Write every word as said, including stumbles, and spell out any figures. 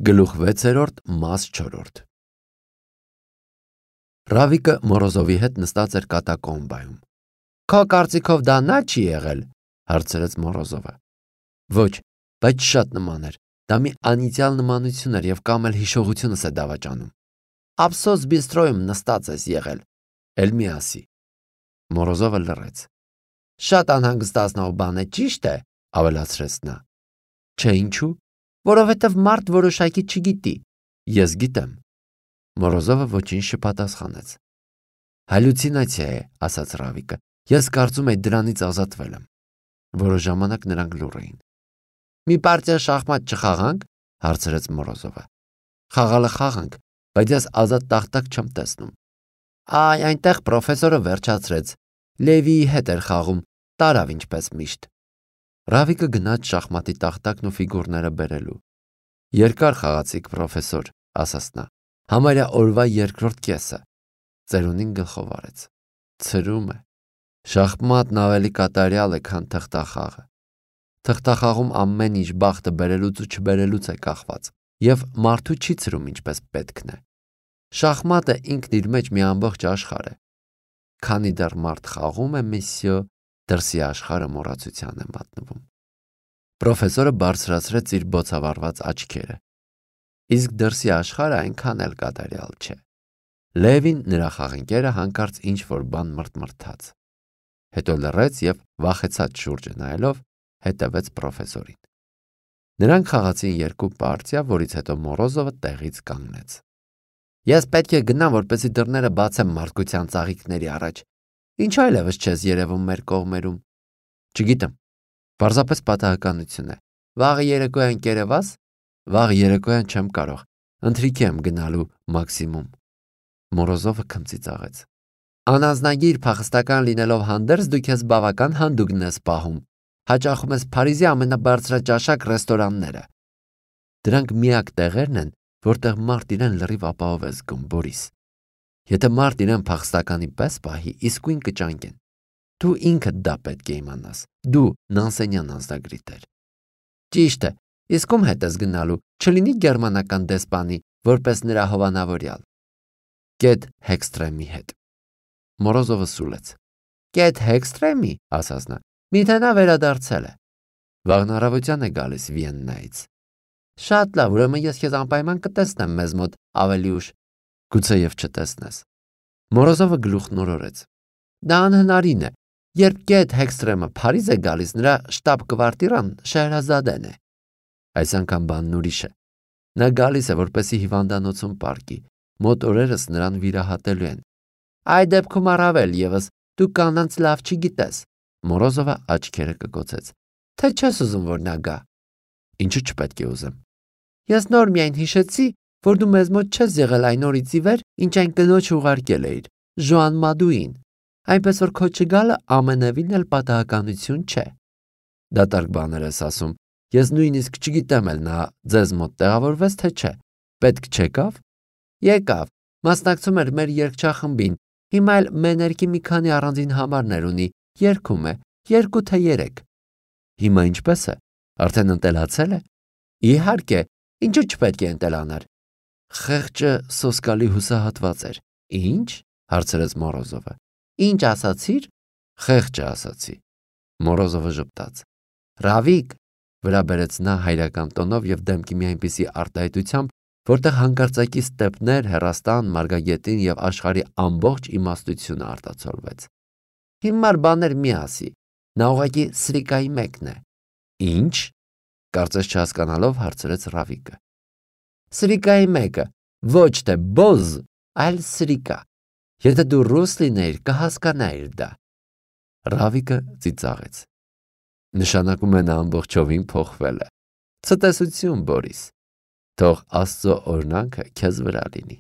Գլուխ վեցերորդ մաս չորրորդ Ռավիկը Մորոզովի հետ նստած էր կատակոմբայում։ Քո կարծիքով դա նա չի եղել, հարցրեց Մորոզովը։ Ոչ, բայց շատ նման էր։ Դա մի անիծյալ նմանություն էր եւ կամ էլ հիշողությունս է դավաճանում։ Ափսոս բիստրոյում նստած ես եղել, էլ մի ասի։ Մորոզովը լռեց։ Շատ անհանգստացնող բան է, ճիշտ է, ավելացրեց նա։ Չէ, ինչու՞։ Որովհետև մարդ որոշակի չգիտի։ Ես գիտեմ։ Մորոզովը ոչինչ չպատասխանեց։ Հալյուցինացիա է, ասաց Ռավիկը։ Ես կարծում եմ դրանից ազատվել եմ։ Որոշ ժամանակ նրանք լուռ էին։ Մի պարտիա շախմատ չխաղանք, հարցրեց Մորոզովը։ Խաղալը խաղանք, բայց ես ազատ տախտակ չեմ տեսնում։ Այ այնտեղ պրոֆեսորը վերջացրեց։ Լևիի հետ էր խաղում, տարավ ինչպես միշտ։ Ռավիկը գնաց շախմատի տախտակն ու ֆիգուրները բերելու։ Երկար խաղացիք, պրոֆեսոր, ասաց նա։ Համարյա օրվա երկրորդ կեսը։ Ծերունին գլխով արեց։ Ցրում է։ Շախմատն ավելի կատարյալ է, քան թղթախաղը։ Թղթախաղում ամեն ինչ բախտը բերելուց ու չբերելուց է կախված, եւ մարդու չի ցրում ինչպես պետքն է։ Շախմատը ինքն իր մեջ մի ամբողջ աշխարհ է։ Քանի դեռ մարդ խաղում է, մեսյո, դրսի աշխարհը մոռացության է մատնվում։ Պրոֆեսորը բարձրացրեց իր բոցավառված աչքերը։ Իսկ դրսի աշխարհը այնքան էլ կատարյալ չէ։ Լևին նրա խաղընկերը հանկարծ ինչ-որ բան մրթմրթաց։ Հետո լռեց եւ վախեցած շուրջը նայելով հետևեց պրոֆեսորին։ Նրանք խաղացին երկու պարտիա, որից հետո Մորոզովը տեղից կանգնեց։ Ես պետք է գնամ, որպեսզի դռները բացեմ մարդկության ծաղիկների առաջ։ Ինչ այլևս չես երևում մեր կողմերում։ Չգիտեմ։ Պարզապես պատահականություն է։ Վաղը երեկոյան կերևաս։ Վաղ երեկոյան չեմ կարող։ Ընթրիքի եմ գնալու մաքսիմում։ Մորոզովը քմծիծաղեց։ Անազնագիր փախստական լինելով հանդերձ դու քեզ բավական հանդուգն ես պահում։ Հաճախում ես Փարիզի ամենաբարձրաճաշակ ռեստորանները։ Դրանք միակ տեղերն են, որտեղ մարդ իրեն լրիվ ապահով է զգում, Բորիս։ Եթե մարդ իրեն փախստականի պես պահի, իսկույն կճանկեն։ Դու ինքդ դա պետք է իմանաս։ Դու Նանսենյան անձնագրիտ ես։ Ճիշտ է, իսկ ում հետ ես գնալու, չլինի գերմանական դեսպանի, որպես նրա հովանավորյալ։ Կետ Հեքստրեմի հետ։ Մորոզովը սուլեց։ Կետ Հեքստրեմի, ասաց նա, միթե նա վերադարձել է։ Վաղն առավոտյան է գալիս Վիեննայից։ Շատ լավ, ուրեմն ես քեզ անպայման կտեսնեմ մեզ մոտ ավելի ուշ։ Գուցե եւ չտեսնես։ Մորոզովը գլուխն օրորեց։ Դա անհնարին է։ Երբ Կետ Հեքստրեմը Փարիզ է գալիս, նրա շտաբ կվարտիրան Շեհրազադեն է։ Այս անգամ բանն ուրիշ է։ Նա գալիս է, որպեսզի հիվանդանոցում պարկի։ Մոտ օրերս նրան վիրահատելու են։ Այդ դեպքում առավել եւս դու կանանց լավ չգիտես։ Մորոզովը աչքերը կկոցեց։ Թե չես ուզում, որ նա գա։ Ինչու չպետք է ուզեմ։ Ես նոր միայն հիշեցի, որ դու մեզ մոտ չես եղել այն օրից ի վեր, ինչ այն կնոջ ուղարկել էիր, Ժոան Մադուին, այնպես որ քո չգալը ամենևին էլ պատահականություն չէ։ Դատարկ բաներ ես ասում, ես նույնիսկ չգիտեմ էլ նա ձեզ մոտ տեղավորվեց, թե չէ, պետք չեկավ։ Եկավ, մասնակցում էր մեր երգչախմբին, հիմա էլ մեներքի մի քանի առանձին համարներ ունի, երգում է, երկու թե երեք։ Հիմա ինչպես է, արդեն ընտելացել է։ Իհարկե, ինչու չպետք է ընտելանար։ Խեղճը սոսկալի հուսահատված էր։ Ինչ, հարցրեց Մորոզովը։ Ինչ ասացիր։ Խեղճը ասացի։ Մորոզովը ժպտաց։ Ռավիկ, վրա բերեց նա հայրական տոնով եւ դեմքի մի այնպիսի արտահայտությամբ, որտեղ հանկարծակի ստեպներ, հեռաստան, մարգագետին եւ աշխարհի ամբողջ իմաստությունը արտացոլվեց։ Հիմար բաներ մի ասի։ Նա ուղղակի սրիկայի մեկն է։ Ինչ, կարծես չհասկանալով հարցրեց Ռավիկը։ Սրիկայի մեկը, ոչ թե բոզ, այլ սրիկա։ Եթե դու ռուս լինեիր, կհասկանայիր դա։ Ռավիկը ծիծաղեց։ Նշանակում է նա ամբողջովին փոխվել է։ Ցտեսություն, Բորիս։ Թող Աստծո օրհնանքը քեզ վրա լինի։